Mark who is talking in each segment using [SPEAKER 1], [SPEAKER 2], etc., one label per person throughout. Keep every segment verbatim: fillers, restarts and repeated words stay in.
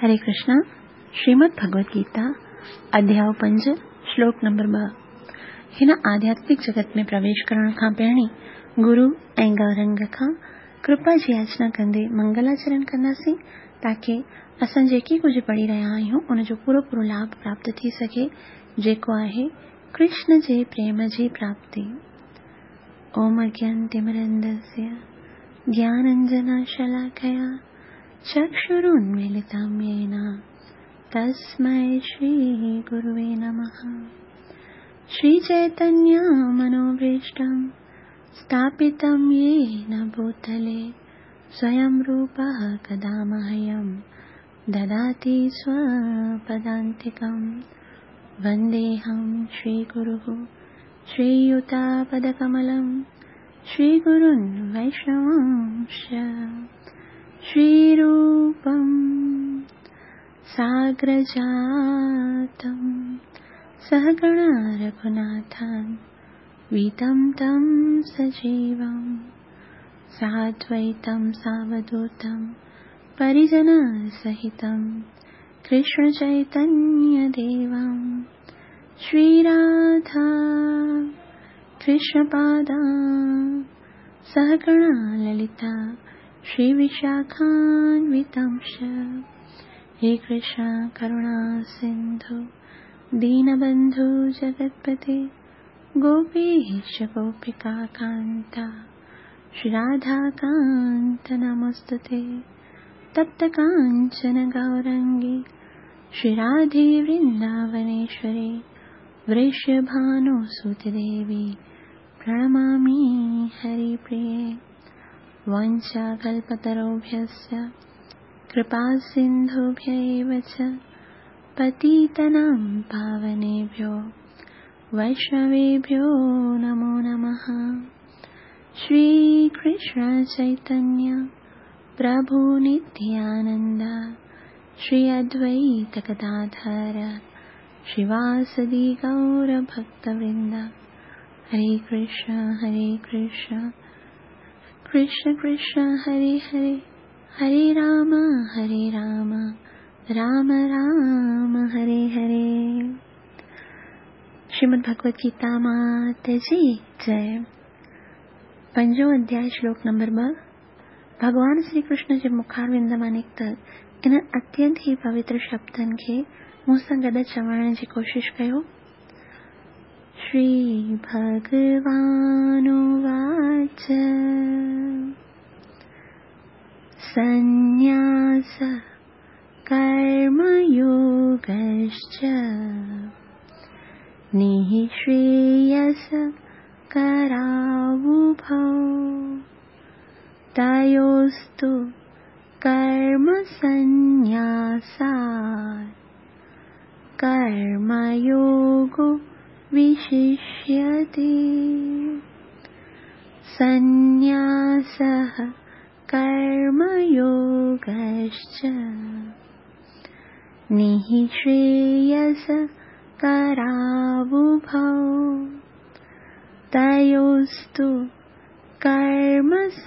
[SPEAKER 1] हरे कृष्णा। श्रीमद् भगवद गीता अध्याय पंज श्लोक नंबर ॿ। हिन आध्यात्मिक जगत में प्रवेश करण खां पहिरीं गुरु ऐं गौरंग खां कृपा जी याचना कंदे मंगलाचरण कंदासीं ताकी असां जेके कुझु पढ़ी रहिया आहियूं उनजो पूरो पूरो लाभ प्राप्त थी सघे, जेको आहे कृष्ण जे प्रेम जी प्राप्ति। ओम अज्ञानतिमिरन्धस्य ज्ञानाञ्जनशलाकया चक्षुरुन्मीलितं येन तस्मै श्रीगुरुवे नमः। श्रीचैतन्यमनोभीष्टं स्थापितं येन भूतले स्वयं रूपः कदा मह्यं ददाति स्वपदान्तिकं। वन्देऽहं श्रीगुरुः श्रीयुतापदकमलं श्रीगुरुन् वैष्णवांश्च श्रीरूपं साग्रजातं सहगणा रघुनाथान् वीतं तं सजीवं साद्वैतं सावधूतं परिजनसहितं कृष्णचैतन्यदेवं श्रीराधा कृष्णपादां सहगणा ललिता श्रीविशाखान्वितांश्च। हे कृष्ण करुणा सिन्धु दीनबन्धु जगत्पते गोपीश गोपिका कान्ता श्रीराधाकान्त नमोऽस्तुते। तप्त काञ्चन गौरङ्गी श्रीराधे वृन्दावनेश्वरी वृषभानुसुते देवी प्रणमामि हरिप्रिये। वाञ्छाकल्पतरुभ्यश्च कृपासिन्धुभ्य एव च पतितानां पावनेभ्यो वैष्णवेभ्यो नमो नमः। श्रीकृष्ण चैतन्य प्रभु नित्यानन्द श्री अद्वैत गदाधर श्रीवासदि गौरभक्तवृन्द। हरे कृष्ण हरे कृष्ण कृष्ण कृष्ण हरे हरे, हरे राम हरे राम राम राम हरे हरे। श्रीमद् भगवद गीता मात जी जय। पंजों अध्याय श्लोक नंबर ॿ। भॻवान श्री कृष्ण जे मुखारविंद मां निकितल इन अत्यंत ई पवित्र शब्दनि खे मूं सां गॾु चवण जी कोशिश कयो। श्री भगवानुवाच संन्यास कर्मयोगश्च निःश्रेयस करावुभौ तयोस्तु कर्मसंन्यासात् कर्मयोगो विशिष्यते। संन्यासः कर्मयोगश्च निःश्रेयस करावुभौ तयोस्तु कर्मसंन्यासात्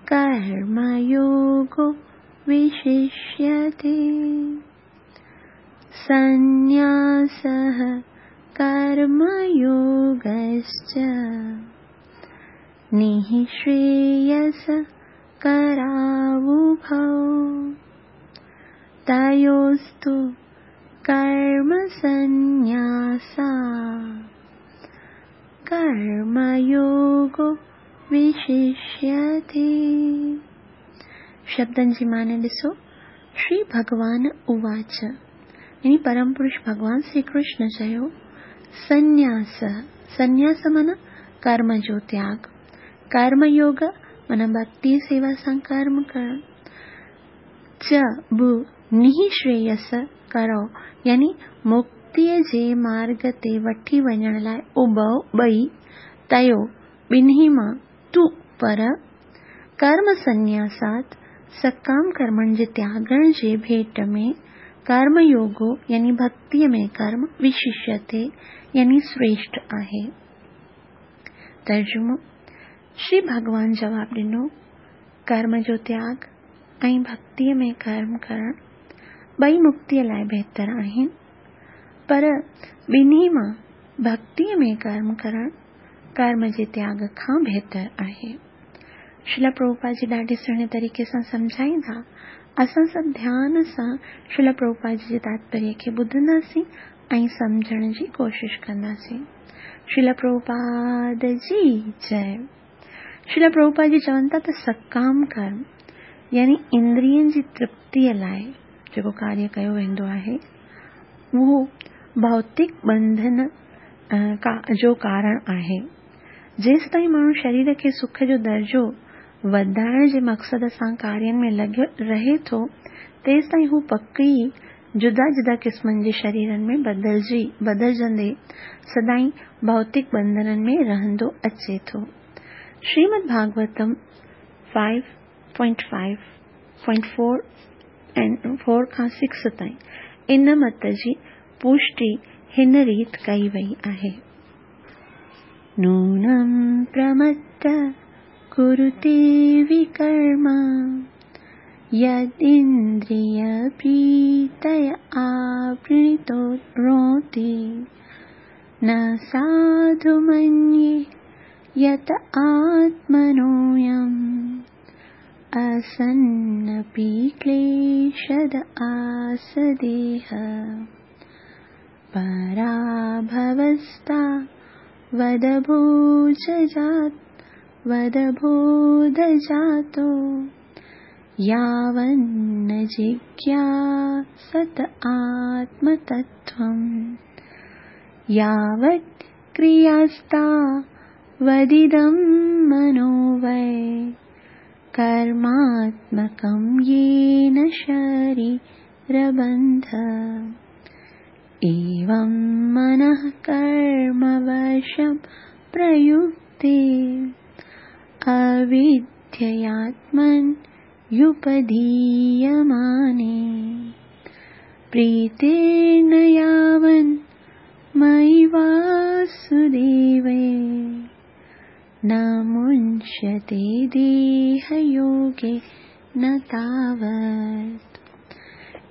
[SPEAKER 1] कर्मयोगो विशिष्यते। संन्यासः कर्मयोगश्च निःश्रेयस करावुभौ तयोस्तु कर्मसंन्यासात् कर्मयोगो विशिष्यते। शब्दनि जी माने ॾिसो। श्री भगवान उवाच यानी परम पुरुष भगवान श्री कृष्ण चयो संन्यास, संन्यास माना कर्म जो त्याग, कर्मयोग माना भक्ति सेवा सां कर्म करण, च बि निःश्रेयस करो यानी मुक्तीअ जे मार्ग ते वठी वञण लाइ उभो ॿई तयो ॿिन्ही मां तूं पर कर्म संन्यासात सकाम कर्मनि जे त्यागण जे भेट में कर्मयोगो यानी भक्तीअ में कर्म विशिष्यते यानी श्रेष्ठ आहे। तर्जुमो। श्री भगवान जवाब ॾिनो, कर्म जो त्याग ऐं भक्तीअ में कर्म करणु ॿई मुक्तीअ लाइ बहितर आहिनि, पर ॿिन्ही मां भक्तीअ में कर्म करणु कर्म जे त्याग खां बहितर आहे। श्रील प्रभुपाद जी ॾाढे सुहिणे तरीक़े सां सम्झाईंदा। असां सभु ध्यान सां श्रील प्रभुपाद जी जे तात्पर्य खे ॿुधंदासीं ऐं सम्झण जी कोशिश कंदासीं। श्रील प्रभुपाद जी जय। श्रील प्रभुपाद जी चवनि था त सकाम कर्म यानी इंद्रियनि जी तृप्तीअ लाइ जेको कार्य कयो वेंदो आहे उहो भौतिक बंधन जो कारण आहे। जेसि ताईं माण्हू शरीर खे सुख जो दर्जो वधाइण जे मक़सद सां कार्यनि में लॻियो रहे थो, तेसि ताईं हू पक ई जुदा जुदा क़िस्मनि जे शरीरनि में बदिलजी बदिलजंदे सदाईं भौतिक बंधननि में रहंदो अचे थो। Shrimad Bhagavatam five point five point four ऐं फोर खां सिक्स ताईं इन मत जी पुष्टि हिन रीति कई वई आहे। नूनं प्रमत्त कुरुते विकर्म यदिन्द्रिय प्रीतय आवृतो रोति न साधु मन्ये यत आत्मनोऽयम् असन्नपि क्लेशद आसदेह पराभवस्ता वदभोजजात वदबोधजातो यावन्न जिज्ञासत आत्मतत्त्वम् यावत् क्रियास्ता वदिदं मनो वै कर्मात्मकं येन शरीरबन्ध एवं मनः कर्मवशं प्रयुक्ते अविद्ययात्मन्युपधीयमाने प्रीतेन यावन् मयि वासुदेवे न मुञ्चते देहयोगे न तावत्।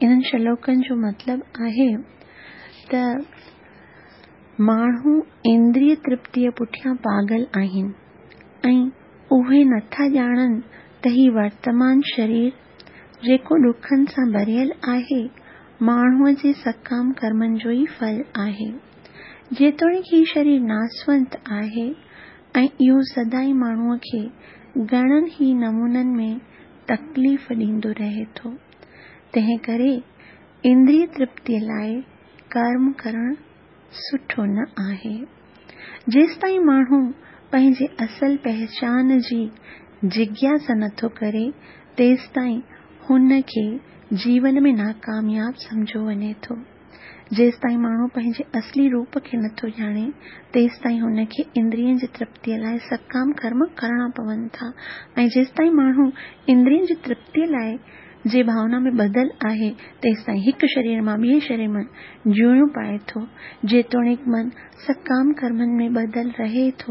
[SPEAKER 1] इन्हनि श्लोकनि जो मतिलबु आहे त माण्हू इंद्रिय तृप्तीअ पुठियां पागल आहिनि ऐं उहे नथा ॼाणनि त ही वर्तमान शरीर जेको ॾुखनि सां भरियल आहे माण्हूअ जे सकाम कर्मनि जो ई फल आहे। जेतोणीकि ही शरीर नासवंत आहे ऐं इहो सदाईं माण्हूअ खे घणनि ई नमूननि में तकलीफ़ ॾींदो रहे थो, तंहिं करे इंद्रिय तृप्तीअ लाइ कर्म करणु सुठो न आहे। जेसि ताईं माण्हू पंहिंजे असल पहचान जी जिज्ञासा नथो करे, तेसि ताईं हुनखे जीवन में नाकामयाब सम्झो वञे थो। जेसि ताईं माण्हू पंहिंजे असली रूप खे नथो ॼाणे, तेसि ताईं हुनखे इंद्रियनि जी तृप्तीअ लाइ सकाम कर्म करणा पवनि था ऐं जेसि ताईं माण्हू इंद्रियनि जी तृप्तीअ लाइ जे भावना में ॿधल आहे, तेसि ताईं हिकु शरीर मां ॿिए शरीर में जूणियूं पाए थो। जेतोणीकि मन सकाम कर्मनि में ॿधल रहे थो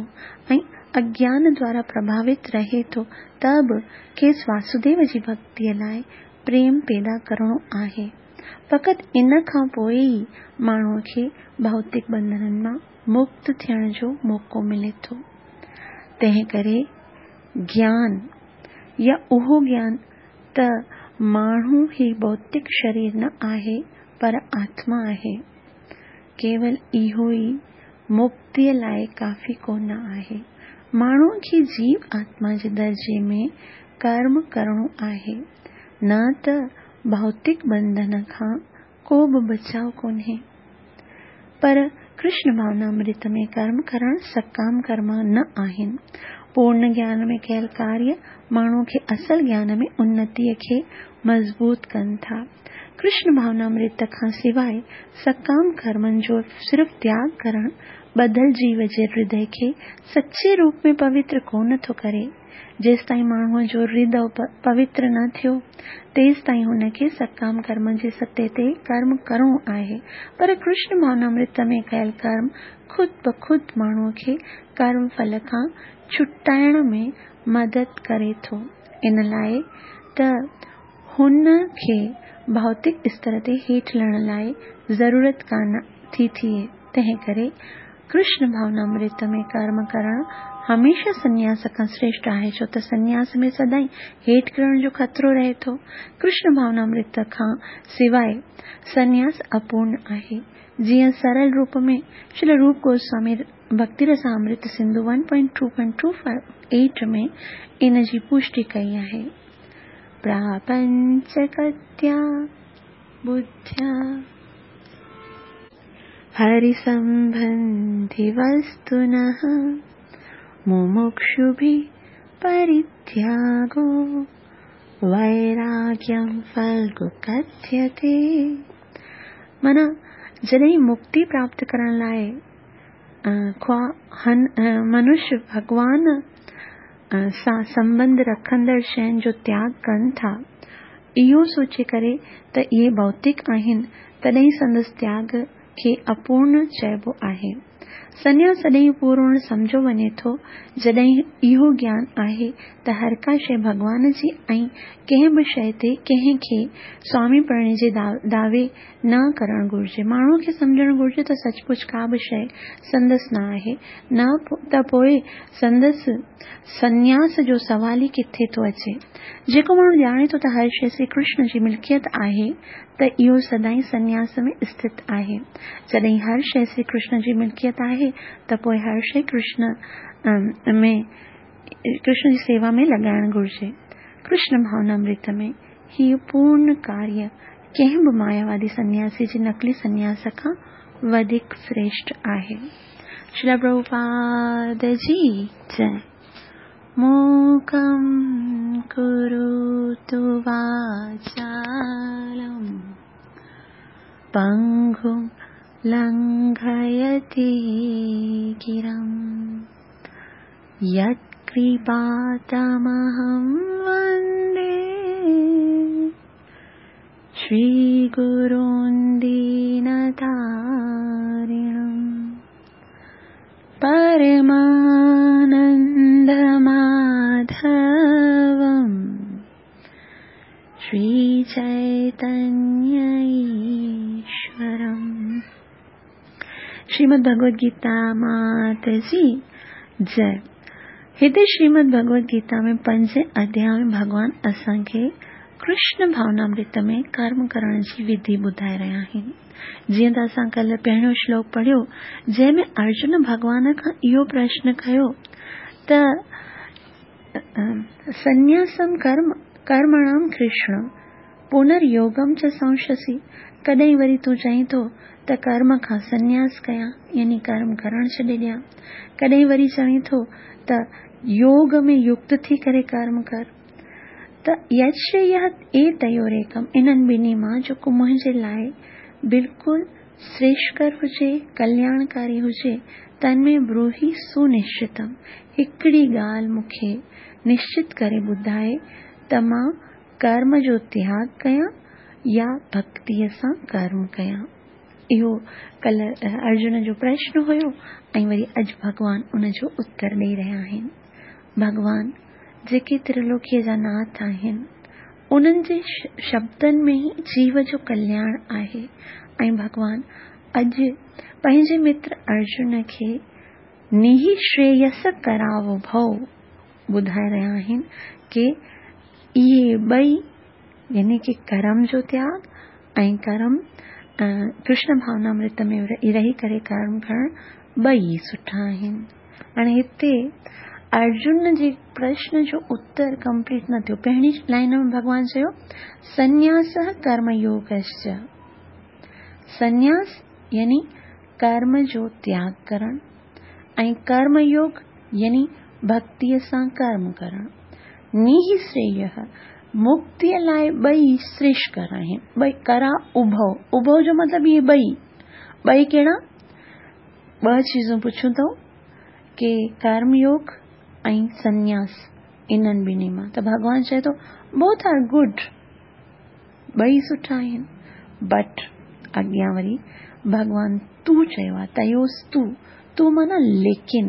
[SPEAKER 1] ऐं अज्ञान द्वारा प्रभावित रहे थो, त बि खेसि वासुदेव जी भक्तीअ लाइ प्रेम पैदा करिणो आहे। फ़क़ति इन खां पोइ ई माण्हूअ खे भौतिक बंधननि मां मुक्त थियण जो मौक़ो मिले थो। तंहिं करे ज्ञान या उहो ज्ञान त माण्हू ही भौतिक शरीर न आहे पर आत्मा आहे, केवल इहो ई मुक्तीअ लाइ काफ़ी कोन आहे। माण्हूअ खे जीव आत्मा जे दर्जे में कर्म करिणो आहे, न त भौतिक बंधन खां को बि बचाव कोन्हे। पर कृष्ण भावनामृत में कर्म करणु सकाम कर्म न आहिनि। पूर्ण ज्ञान में कयल कार्य माण्हू खे असल ज्ञान में उन्नतीअ खे मज़बूत कनि था। कृष्ण भावनामृत खां सिवाइ सकाम कर्मनि जो सिर्फ़ त्याग करणु ॿधल जीव जे हृदय खे सचे रूप में पवित्र कोन थो करे। जेसि ताईं माण्हूअ जो हृदय पवित्र न थियो, तेसि ताईं हुनखे सकाम कर्म जे सतह ते कर्म करिणो आहे। पर कृष्ण भावनामृत में कयल कर्म ख़ुदि ब ख़ुदि माण्हूअ खे कर्म फल खां छुटाइण में मदद करे थो। इन लाइ त हुन खे भौतिक स्तर ते हेठि लहण लाइ ज़रूरत कान थी थिए। तंहिं करे कृष्ण भावनामृत में कर्म करणु हमेशह संन्यास खां श्रेष्ठ आहे, छो त संन्यास में सदाईं हेठि किरण जो ख़तरो रहे थो। कृष्ण भावनामृत खां सिवाय संन्यास अपूर्ण आहे। जीअं सरल रूप में श्रील रूप गोस्वामी भक्ति Rasamrita Sindhu one point two point two five eight में इन जी पुष्टि कई आहे। प्रापंचकत्या बुद्ध्या हरिसंबंधि वस्तुनः मुमुक्षुभिः परित्यागो वैराग्यं फल्गु कथ्यते। माना जॾहिं मुक्ति प्राप्त करण लाइ ख्वाह मनुष्य भॻवान सां संबंध रखंदड़ शयुनि जो त्याग कनि था, इहो सोचे करे त इहे भौतिक आहिनि, तॾहिं संदसि त्याग खे अपूर्ण चइबो आहे। संन्यास तॾहिं पूर्ण सम्झो वञे थो जॾहिं इहो ज्ञान आहे त हर का शइ भॻवान जी ऐं कंहिं बि शइ ते कंहिं खे स्वामी पणे जे दावे न करणु घुरिजे। माण्हूअ खे सम्झणु घुरिजे त सचमुच का बि शइ संदसि न आहे, न त पोइ संदसि संन्यास जो सवाल ई किथे थो अचे। जेको माण्हू ॼाणे थो त हर शइ श्री कृष्ण जी मिल्कियत आहे त इहो सदाईं संन्यास में स्थित आहे। जॾहिं हर शइ श्री कृष्ण जी मिल्कियत आहे त पोइ हर शइ कृष्ण में कृष्ण जी सेवा में लॻाइणु घुरिजे। कृष्ण भावनामृत में हीउ पूर्ण कार्य कंहिं बि मायावादी संन्यासी जी नकली संन्यास खां वधीक श्रेष्ठ आहे। श्रील प्रभुपाद जी जय। मूकं करोतु वाचालं पंगुं लंघयति गिरं यत्कृपातमहं वन्दे श्रीगुरुं दीनतारिणं परमानन्दमाधवं श्रीचैतन्य ईश्वरम्। श्रीमद् भगवद गीता मात जी जय। हिते श्रीमद् भगवद गीता में पंज अध्याय में भॻवान असांखे कृष्ण भावनामृत में कर्म करण जी विधि ॿुधाए रहिया आहिनि। जीअं त असां कल्ह पहिरियों श्लोक पढ़ियो जंहिंमें अर्जुन भॻवान खां इहो प्रश्न कयो त संन्यासम कर्म कर्मणाम कृष्ण पुनर्योगम च संशसि, कॾहिं वरी तूं चईं थो त कर्म खां संन्यास कयां यानी कर्म करणु छॾे ॾियां, कॾहिं वरी चवीं थो त योग में युक्त थी करे कर्म कर। त यश्रेय एतयोरेकम, इन्हनि ॿिन्ही मां जेको मुंहिंजे लाइ बिल्कुलु श्रेष्ठकर हुजे, कल्याणकारी हुजे, तन में ब्रूहि सुनिश्चितम, हिकिड़ी ॻाल्हि मूंखे निश्चित करे ॿुधाए त मां कर्म जो त्याग कयां या भक्तीअ सां कर्म कयां। इहो कल्ह अर्जुन जो प्रश्न हुयो ऐं वरी अॼु भॻवान उन जो उत्तर ॾेई रहिया आहिनि। भॻवान जेके त्रिलोकीअ जा नाथ आहिनि उन्हनि जे शब्दनि में ई जीव जो कल्याण आहे ऐं भॻवान अॼु पंहिंजे मित्र अर्जुन खे निःश्रेयस करावो भव ॿुधाए रहिया आहिनि की इहे ॿई यानी की कर्म जो त्याग ऐं कर्म कृष्ण भावनामृत में रही करे कर्म करणु ॿई सुठा आहिनि। हाणे हिते अर्जुन जे प्रश्न जो उत्तर कंप्लीट न थियो। पहिरीं लाइन में भॻवान चयो संन्यास कर्मयोगश्च, संन्यास यानी कर्म जो त्याग करणु ऐं कर्मयोग यानी भक्तीअ सां कर्म करणु। निःश्रेय मुक्तीअ लाइ ॿई श्रेष्ठकर आहिनि, ॿई करा उभव, उभव जो मतिलबु इहे ॿई, ॿई कहिड़ा? ॿ चीज़ूं पुछूं अथऊं की कर्मयोग ऐं संन्यास, इन्हनि ॿिन्ही मां त भॻवान चए थो बोथ are good, ॿई सुठा आहिनि, बट अॻियां वरी भॻवान तूं चयो आहे, तयोस्तु, तूं माना लेकिन,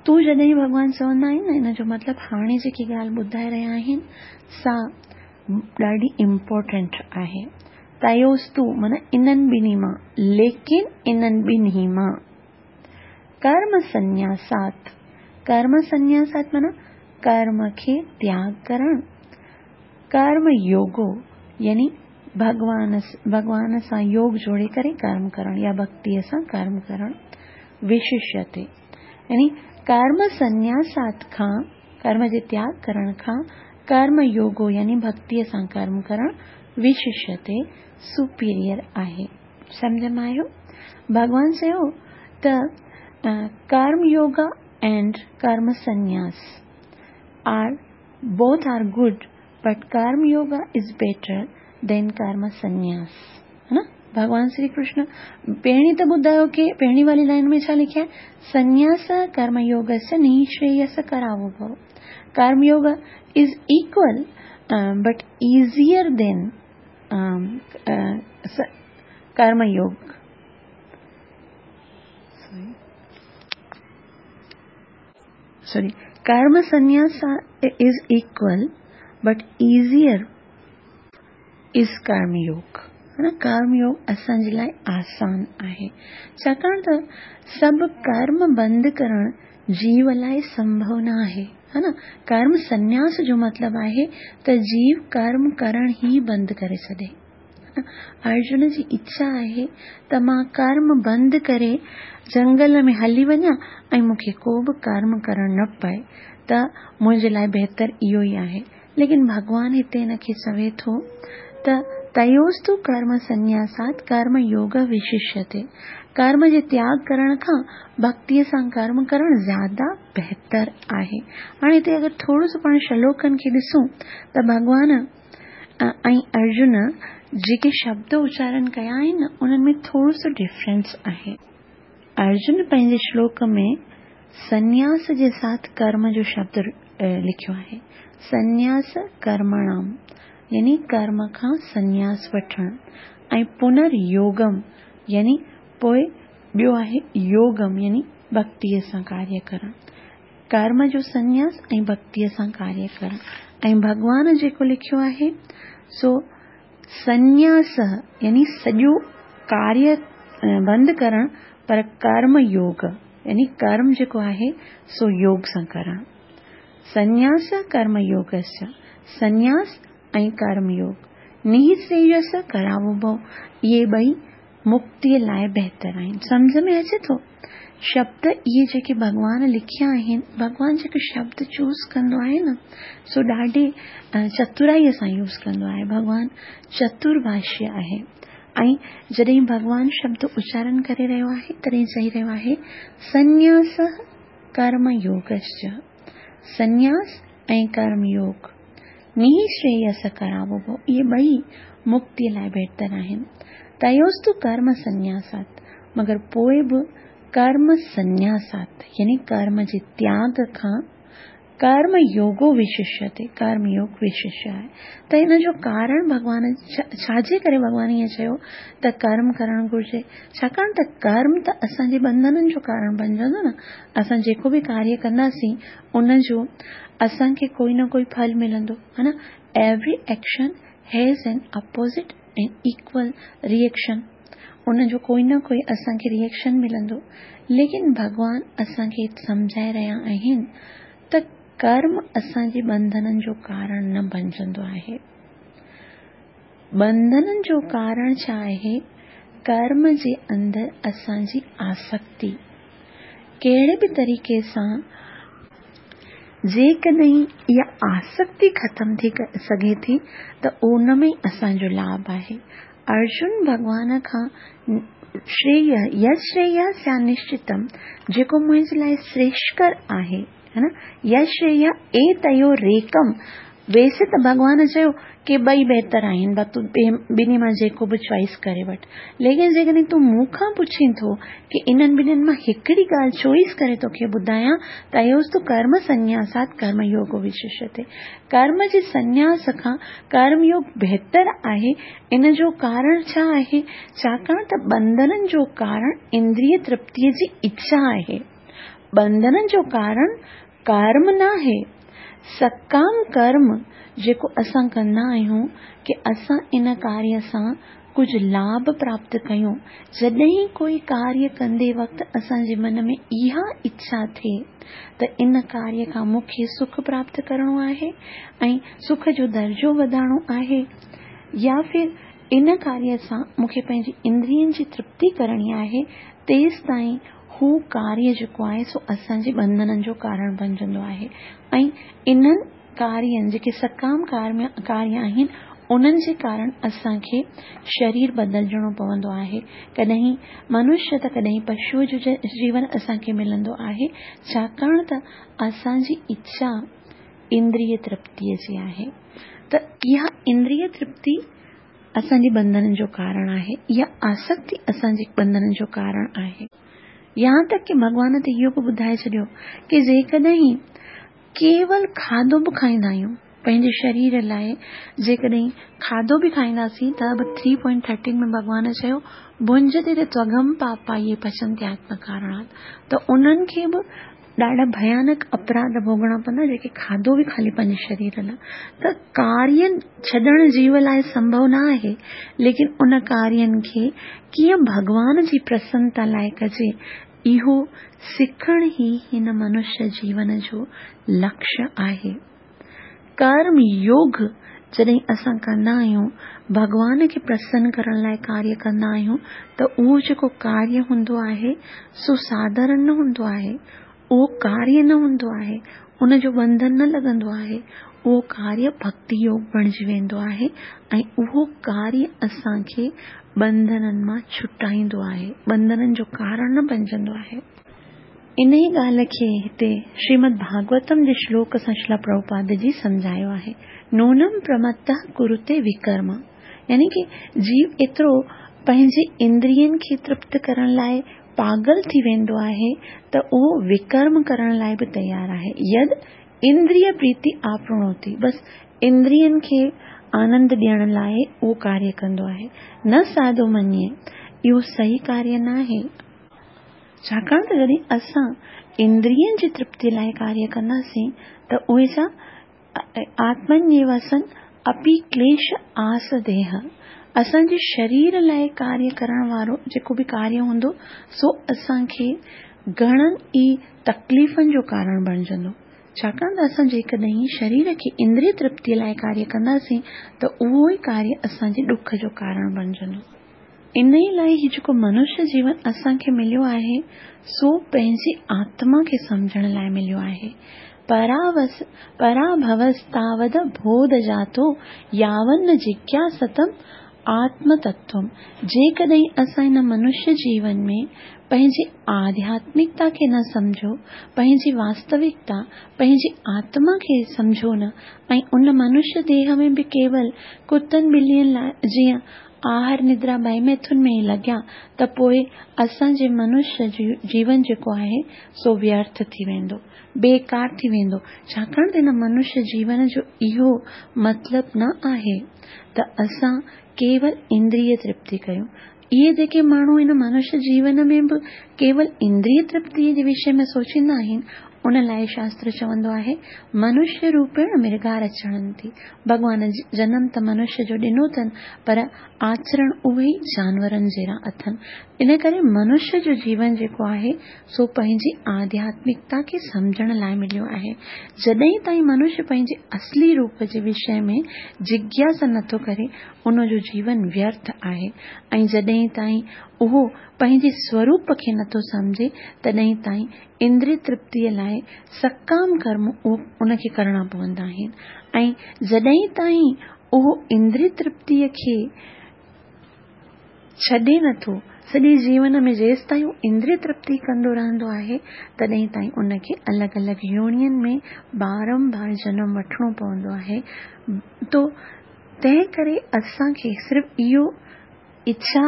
[SPEAKER 1] तूं जॾहिं भॻवान चवंदा आहिनि न, इन जो मतिलबु हाणे जेकी ॻाल्हि ॿुधाए रहिया आहिनि सा ॾाढी इम्पोर्टेंट आहे। तयोस्तु माना इन्हनि ॿिन्ही मां, लेकिन इन्हनि ॿिन्ही मां कर्म संन्यासात, कर्म संन्यासात माना कर्म खे त्याग करणु, कर्म योगो यानी भॻवान भॻवान सां योग जोड़े करे कर्म करणु या भक्तीअ सां कर्म करणु विशिष्यते। यानी कर्म संन्यासात खां, कर्म जे त्याग करण खां कर्म योगो यानी भक्तीअ सां कर्म करणु विशिष्यते, सुपीरियर आहे। सम्झ में आयो? भॻवान चयो त कर्म योगा एंड कर्म संन्यास are both are good, but karma yoga is better than karma sannyas, है ना। भगवान श्री कृष्ण पहिरीं त ॿुधायो की पहिरीं वारी लाइन में छा लिखिया आहे, संन्यास कर्म योगस्य निःश्रेयस करावो भव। Karma yoga is equal but easier than karma yoga. Sorry, karma sannyas is equal but easier is karma yoga, है ना। कर्म योग असांजे लाइ आसान आहे, छाकाणि त सभु कर्म बंदि करणु जीव लाइ संभव न आहे, है ना। कर्म संन्यास जो मतिलबु आहे त जीव कर्म करणु ई बंदि करे छॾे। अर्जुन जी इच्छा आहे त मां कर्म बंदि करे जंगल में हली वञा ऐं मूंखे को बि कर्म करणु न पए, त मुंहिंजे लाइ बहितर इहो ई आहे। लेकिन भॻवान हिते हिनखे चवे थो त तयोस्तु कर्म संन्यासात कर्म योग विशिष्यते, कर्म जे त्याग करण खां भक्तीअ सां कर्म करणु ज़्यादा बहितर आहे। हाणे हिते अगरि थोरो सो पाण श्लोकनि खे ॾिसूं त भॻवान ऐं अर्जुन जेके शब्द उचारण कया आहिनि उन्हनि में थोरो सो डिफरेंस आहे। अर्जुन पंहिंजे श्लोक में संन्यास जे साथ कर्म जो शब्द लिखियो आहे, संन्यास कर्मणाम यानी कर्म खां संन्यास वठणु, ऐं पुनर्योगम यानी पोइ ॿियो आहे योगम यानी भक्तीअ सां कार्य करणु। कर्म जो संन्यास ऐं भक्तीअ सां कार्य करणु। ऐं भॻवान जेको लिखियो आहे सो संन्यास यानी सॼो कार्य बंदि करणु, पर कर्म योग यानी कर्म जेको आहे सो योग सां करणु। संन्यास कर्म योगस्य, संन्यास ऐं कर्म योग निःश्रेयस करावो भव, इहे ॿई मुक्तीअ लाइ बहितर आहिनि। सम्झ में अचे थो? शब्द इहे जेके भॻवान लिखिया आहिनि, भॻवान जेके शब्द चूज़ कंदो आहे न सो ॾाढे चतुराईअ सां यूज़ कंदो आहे। भॻवान चतुर्भाष्य आहे ऐं जॾहिं भॻवान शब्द उचारण करे रहियो आहे तॾहिं चई रहियो आहे संन्यास कर्म योगश्च, संन्यास ऐं कर्म योग निःश्रेयस करावो भव, इहे ॿई मुक्तीअ लाइ बहितर आहिनि। तयोस्तु कर्म संन्यासात, मगर पोइ बि कर्म संन्यासात यानी कर्म जे त्याग खां कर्म योगो विशिष्यते, कर्म योग विशिष्य आहे। त हिन जो कारण भॻवान छाजे करे भॻवान ईअं चयो त कर्म करणु घुरिजे, छाकाणि त कर्म त असांजे बंधननि जो कारण बणिजंदो न। असां जेको बि कार्य कंदासीं उनजो असांखे कोई न कोई फल मिलंदो, है ना। Every action has an opposite and equal reaction, उनजो कोई न कोई असांखे रिएक्शन मिलंदो। लेकिन भॻवान असांखे सम्झाए रहिया आहिनि त कर्म असांजे बंधननि जो कारण न बणिजंदो आहे। बंधननि जो कारण छा आहे? कर्म जे अंदरि असांजी आसक्ति कहिड़े बि तरीक़े सां जेकॾहिं इहा आसक्ति ख़तमु थी सघे थी त उन में असांजो लाभ आहे। अर्जुन भॻवान खां श्रेय यश्रेय स्या निश्चितम, जेको मुंहिंजे लाइ श्रेष्ठकर आहे, है ना। यश्रेय एतयो रेकम, वैसे त भॻवान चयो की ॿई बहितर आहिनि, बा तूं ॿिन्ही मां जेको बि चॉइस करे वठि, लेकिन जेकॾहिं तूं मूंखां पुछीं थो की इन्हनि ॿिन्हिनि मां हिकिड़ी ॻाल्हि चॉइस करे तोखे ॿुधायां, त तयोस्तु कर्म संन्यासात कर्म योगो विशिष्यते, कर्म जे संन्यास खां कर्म योग बहितर आहे। इन जो कारण छा आहे? छाकाणि त बंधननि जो कारण इंद्रिय तृप्तीअ जी इच्छा आहे, बंधननि जो कारण कर्म न आहे। سڪام ڪرم جيڪو اسان ڪندا آهيون ڪه اسان ان ڪاريه سان ڪجهه لاڀ پراپت ڪيون، جڏهن ڪوئي ڪاريه ڪندي وقت اسان جي من ۾ اها اڇا ٿئي ته ان ڪاريه کان مون کي سک پراپت ڪرڻو آهي ۽ سک جو درجو وڌائڻو آهي، يا ڦر ان ڪاريه سان مون کي پنهنجي اندرين جي ترپتي ڪرڻي آهي، تيستائين هو ڪاريه جيڪو آهي سو اسان جي ٻنڌنن جو ڪارڻ بڻجندو آهي. ۽ انهن ڪارين جيڪي سڪام ڪاريه آهن انهن جي ڪارڻ اسان کي شرير بدلجڻو پوندو آهي. ڪڏهن منشيه ته ڪڏهن پشوءَ جو جيون اسان کي ملندو آهي، ڇاڪاڻ ته اسان جي اڇا اندريه ترپتيءَ جي آهي. ته اها اندريه ترپتي اسان جي ٻنڌنن جو ڪارڻ آهي، اها آسڪتي اسان جي ٻنڌنن جو ڪارڻ آهي. يهان تڪ ڪه ڀڳوان ته اهو به ٻڌائي ڇڏيو ڪه جيڪڏهن ڪيول کاڌو به کائيندا آهيون پنهنجي شرير لاءِ، جيڪڏهن کاڌو به کائينداسين ته به ٿري پوائنٽ ٿرٽين ۾ ڀڳوان چيو ڀنجتي تي تئگم پاپا اهي پچنتي آتم ڪارڻات، ته انهن کي به ڏاڍا ڀيانڪ اپراڌ ڀوڳڻا پوندا جيڪي کاڌو به خالي پنهنجي شرير لاءِ. ته ڪارين ڇڏڻ جيو لاءِ سنڀو نه آهي، ليڪن ان ڪارين کي ڪيئن ڀڳوان جي پرسنتا لاءِ ڪجي اهو سکڻ ئي هن منشيه جيون جو لڪشيه آهي. ڪرم يوگ جڏهن اسان ڪندا آهيون، ڀڳوان کي پرسن ڪرڻ لاءِ ڪاريه ڪندا آهيون، ته اهو جيڪو ڪاريه هوندو آهي سو ساڌارڻ نه هوندو آهي، اهو ڪاريه نه هوندو آهي، ان جو ٻنڌن نه لڳندو آهي، اهو ڪاريه ڀڪتي يوگ بڻجي ويندو آهي ۽ اهو ڪاريه اسان کي ٻنڌنن مان ڇٽائيندو آهي، ٻنڌنن جو ڪارڻ نه بڻجندو آهي. ان ئي ڳالهه کي هتي شريمد ڀاڳوتم جي شلوڪ سان شريلا پرڀوپاد جي سمجهايو آهي. نونم پرمتः ڪرتي وڪرم، يعني ڪه جيو ايترو پنهنجي اندرين کي ترپت ڪرڻ لاءِ پاڳل ٿي ويندو آهي ته اهو وڪرم ڪرڻ لاءِ به تيار آهي. يد اندريه پريتي آپڻوتي، بس اندرين کي آنند ڏيڻ لاءِ اهو ڪاريه ڪندو آهي. نه ساڌو مڃي، اهو صحيح ڪاريه نه آهي. ڇاڪاڻ ته جڏهن اسان اندرين جي ترپتي لاءِ ڪاريه ڪنداسين ته اهي ڇا آتمنيوسن اپي ڪليش آس ديهه، اسان جي شرير لاءِ ڪاريه ڪرڻ وارو جيڪو به ڪاريه هوندو سو اسان کي گهڻن ئي تڪليفن جو ڪارڻ بڻجندو. ڇاڪاڻ ته اسان جيڪڏهن شرير کي اندريه ترپتيءَ لاءِ ڪاريه ڪنداسين ته اهو ئي ڪاريه اسان جي ڏک جو ڪارڻ بڻجندو. ان ئي لاءِ هي جيڪو منشيه جيون اسان کي مليو آهي سو پنهنجي آتما کي سمجهڻ لاءِ مليو آهي. پراوس پراڀوستاود بوڌ جاتو ياون جگياستم آتم تتوم. جيڪڏهن اسان هن منشيه جيون ۾ پنهنجي آڌياتمڪتا کي نه سمجهو، پنهنجي واستوڪتا، پنهنجي آتما کي سمجهو نه، ۽ ان منشيه ديهه ۾ به ڪيول ڪتن ٻلين لاءِ جيئن آهار ندرا ڀائي ميٿن ۾ ئي لڳيا ته پوءِ اسان جي منشيه جيون جيڪو آهي سو ويرٿ ٿي ويندو، بيڪار ٿي ويندو. ڇاڪاڻ ته هن منشيه جيون جو اهو مطلب نه آهي ته اسان ڪيول اندريه ترپتي ڪيون. اهي جيڪي ماڻهو هن منشيه جيون ۾ به ڪيول اندريه ترپتيءَ جي وشي ۾ سوچيندا آهن، ان لاءِ شاستر چوندو آهي منشيه روپيڻ مرگار اچرنتي. ڀڳوان جنم ته منشيه جو ڏنو اٿن، پر آچرڻ اهي ئي جانورن جهڙا اٿن. ان ڪري منشيه جو جيون جيڪو آهي سو پنهنجي آڌياتمڪتا کي سمجهڻ لاءِ مليو آهي. جڏهن تائين منشيه پنهنجي اصلي روپ جي وشي ۾ جگياسا نٿو ڪري، ان جو جيون ويرٿ آهي. ۽ جڏهن تائين اهو پنهنجي سوروپ کي نٿو سمجهي، تڏهن تائين اندريه ترپتيءَ لاءِ سڪام ڪرم ان کي ڪرڻا پوندا آهن. ۽ جڏهن تائين اهو اندريه ترپتيءَ کي ڇڏي نٿو، سڄي جيون ۾ جيس تائين اهو اندريه ترپتي ڪندو رهندو آهي، تڏهن تائين ان کي الڳ الڳ يونين ۾ بارمبار جنم وٺڻو پوندو آهي. تو تنهن ڪري اسان کي صرف اهو اڇا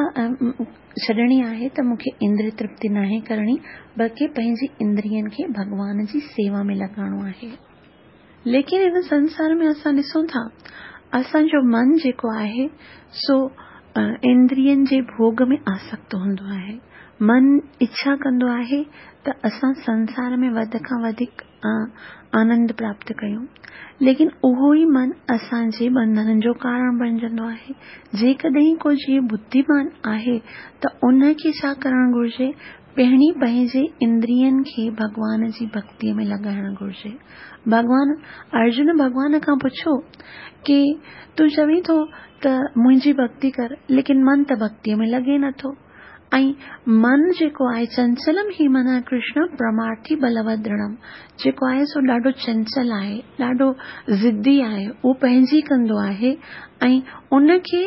[SPEAKER 1] ڇڏڻي آهي ته مون کي اندريه ترپتي ناهي ڪرڻي، بلڪه پنهنجي اندرين کي ڀڳوان جي سيوا ۾ لڳائڻو آهي. ليڪن هن سنسار ۾ اسان ڏسون ٿا اسان جو من جيڪو آهي سو اندرين جي ڀوڳ ۾ آسڪت هوندو آهي. من اڇا ڪندو آهي ته اسان سنسار ۾ وڌ کان وڌيڪ آنند پراپت ڪيون، ليڪن اهو ئي من اسان جي ٻنڌنن جو ڪارڻ بڻجندو آهي. جيڪڏهن ڪو جيو ٻڌيمان آهي ته ان کي ڇا ڪرڻ گهرجي؟ پهرين پنهنجي اندرين کي ڀڳوان جي ڀڳتيء ۾ لڳائڻ گهرجي. ڀڳوان ارجن ڀڳوان کان پڇيو ڪي تون چوين ٿو ته منهنجي ڀڳتي ڪر، ليڪن من ته ڀڳتيء ۾ لڳي نٿو. ۽ من جيڪو آهي چنچلم هي من ڪرشن پرمارٿي بلوت درڙم، جيڪو آهي سو ڏاڍو چنچل آهي، ڏاڍو ضدي آهي، اهو پنهنجي ڪندو آهي ۽ ان کي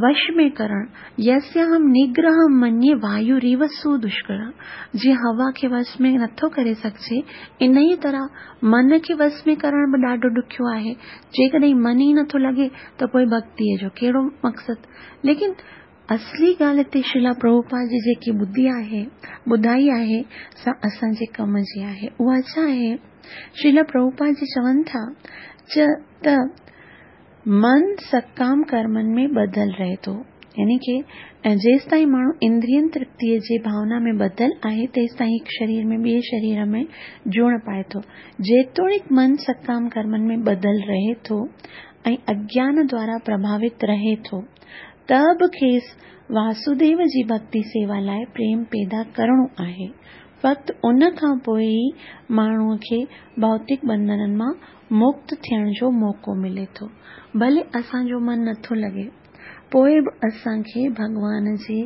[SPEAKER 1] وش ۾ ڪرڻ، يسياهم نگرهم مني وايوريو سودشڪر، جيئن هوا کي وش ۾ نٿو ڪري سگهجي، انهيء طرح من کي وش ۾ ڪرڻ به ڏاڍو ڏکيو آهي. جيڪڏهن من ئي نٿو لڳي ته پوء ڀڳتيء جو ڪهڙو مقصد؟ ليڪن اصلي ڳالهه هتي شريلا پرڀوپاد جي جيڪي ٻڌي آهي، ٻڌائي آهي، سا اسان جي ڪم جي آهي. اها ڇا آهي؟ شريلا پرڀوپاد جي چون ٿا ته من سڪام ڪرمن ۾ ٻڌل رهي ٿو، يعني ڪي جيستائين ماڻهو اندرين ترپتيء جي ڀاونا ۾ ٻڌل آهي تيستائين هڪ شرير ۾ ٻئي شرير ۾ جوڻ پائي ٿو. جيتوڻيڪ من سڪام ڪرمن ۾ ٻڌل رهي ٿو ۽ اگيان دوارا پرڀاوت رهي ٿو ته به کيس واسوديو جي ڀڳتي سيوا لاء پريم پيدا ڪرڻو آهي. فقط ان کان پوء ئي ماڻهوء کي ڀوتڪ ٻنڌنن مان مڪت ٿيڻ جو موقعو ملي ٿو. ڀلي اسان جو من نٿو لڳي، پوء به اسان کي ڀڳوان جي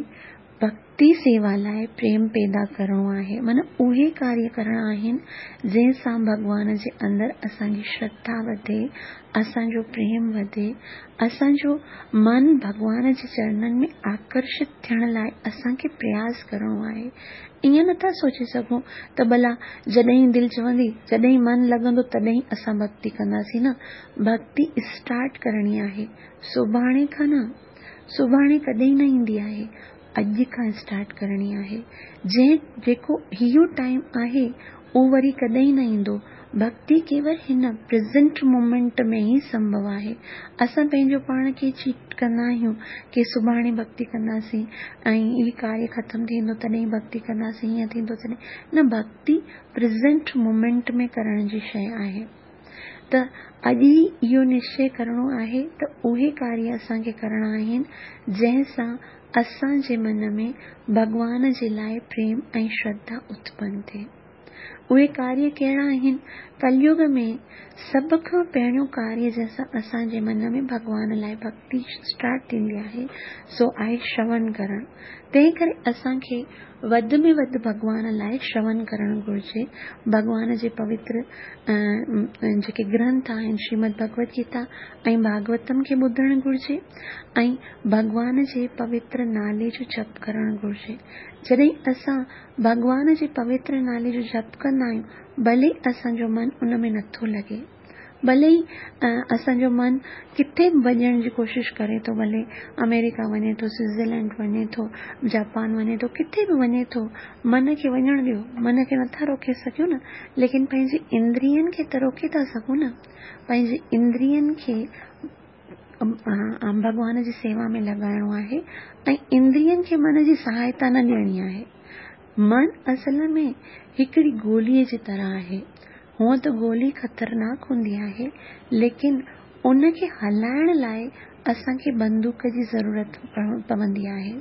[SPEAKER 1] ڀڳتي سيوا لاء پريم پيدا ڪرڻو آهي. معنيٰ اهي ڪاريه ڪرڻا آهن جنهن سان ڀڳوان جي اندر اسان جي شرڌا وڌي، اسان جو پريم وڌي، اسان جو من ڀڳوان جي چرنن ۾ آڪرشت ٿيڻ لاء اسان کي پرياس ڪرڻو آهي. ائين نٿا سوچي سگهون ته ڀلا جڏهن دل چوندي، جڏهن من لڳندو تڏهن اسان ڀڳتي ڪنداسين. نه، ڀڳتي اسٽارٽ ڪرڻي آهي، سڀاڻي کان نه، سڀاڻي ڪڏهن نه ايندي آهي، اڄ کان اسٽارٽ ڪرڻي آهي. جنهن جيڪو اهو ٽائيم آهي اهو وري ڪڏهن نه ايندو. ڀڳتي ڪيول هن پريزنٽ مومينٽ ۾ ئي سنڀو آهي. اسان پنهنجو پاڻ کي چيٽ ڪندا آهيون ڪي سڀاڻي ڀڳتي ڪنداسين ۽ هي ڪاريه ختم ٿيندو تڏهن ڀڳتي ڪنداسين، هيئن ٿيندو تڏهن. نه، ڀڳتي پريزنٽ مومينٽ ۾ ڪرڻ جي شيء آهي. ته اڄ ئي اهو نشچي ڪرڻو آهي ته اهي ڪاريه اسان کي ڪرڻا آهن جنهن سان اسان جي من ۾ ڀڳوان جي لاء پريم ۽ شرڌا اتپن ٿئي. اهي ڪاريه ڪهڙا آهن؟ ڪليگ ۾ سڀ کان پهريون ڪاريه جنهن سان اسان جي من ۾ ڀڳوان لاء ڀڳتي اسٽارٽ ٿيندي آهي سو آهي شرون ڪرڻ. تنهن ڪري اسان کي وڌ ۾ وڌ ڀڳوان لاء شرون ڪرڻ گهرجي. ڀڳوان جي پوتر جيڪي گرنٿ آهن شريمد ڀڳوت گيتا ۽ ڀاڳوتم کي ٻڌڻ گهرجي ۽ ڀڳوان جي پوتر نالي جو جپ ڪرڻ گهرجي. جڏهن اسان ڀڳوان جي پوتر نالي جو جپ ڪندا آهيون، ڀلي اسان جو من ان ۾ نٿو لڳي، ڀلي ئي اسان جو من ڪٿي به وڃڻ جي ڪوشش ڪري ٿو، ڀلي آمريڪا وڃي ٿو، سوئٽزرلينڊ وڃي ٿو، جاپان وڃي ٿو، ڪٿي به وڃي ٿو، من کي وڃڻ ڏيو، من کي نٿا روڪي سگهيون نه، ليڪن پنهنجي اندرين کي ته روڪي ٿا سگهون نه. پنهنجي اندرين کي ڀڳوان جي سيوا ۾ لڳائڻو آهي ۽ اندرين کي من جي سهائتا نه ڏيڻي آهي. من اصل ۾ هڪڙي گوليء جي طرح آهي. هونء ته گولي خطرناڪ هوندي آهي، ليڪن ان کي هلائڻ لاء اسان کي بندوق جي ضرورت پوندي آهي.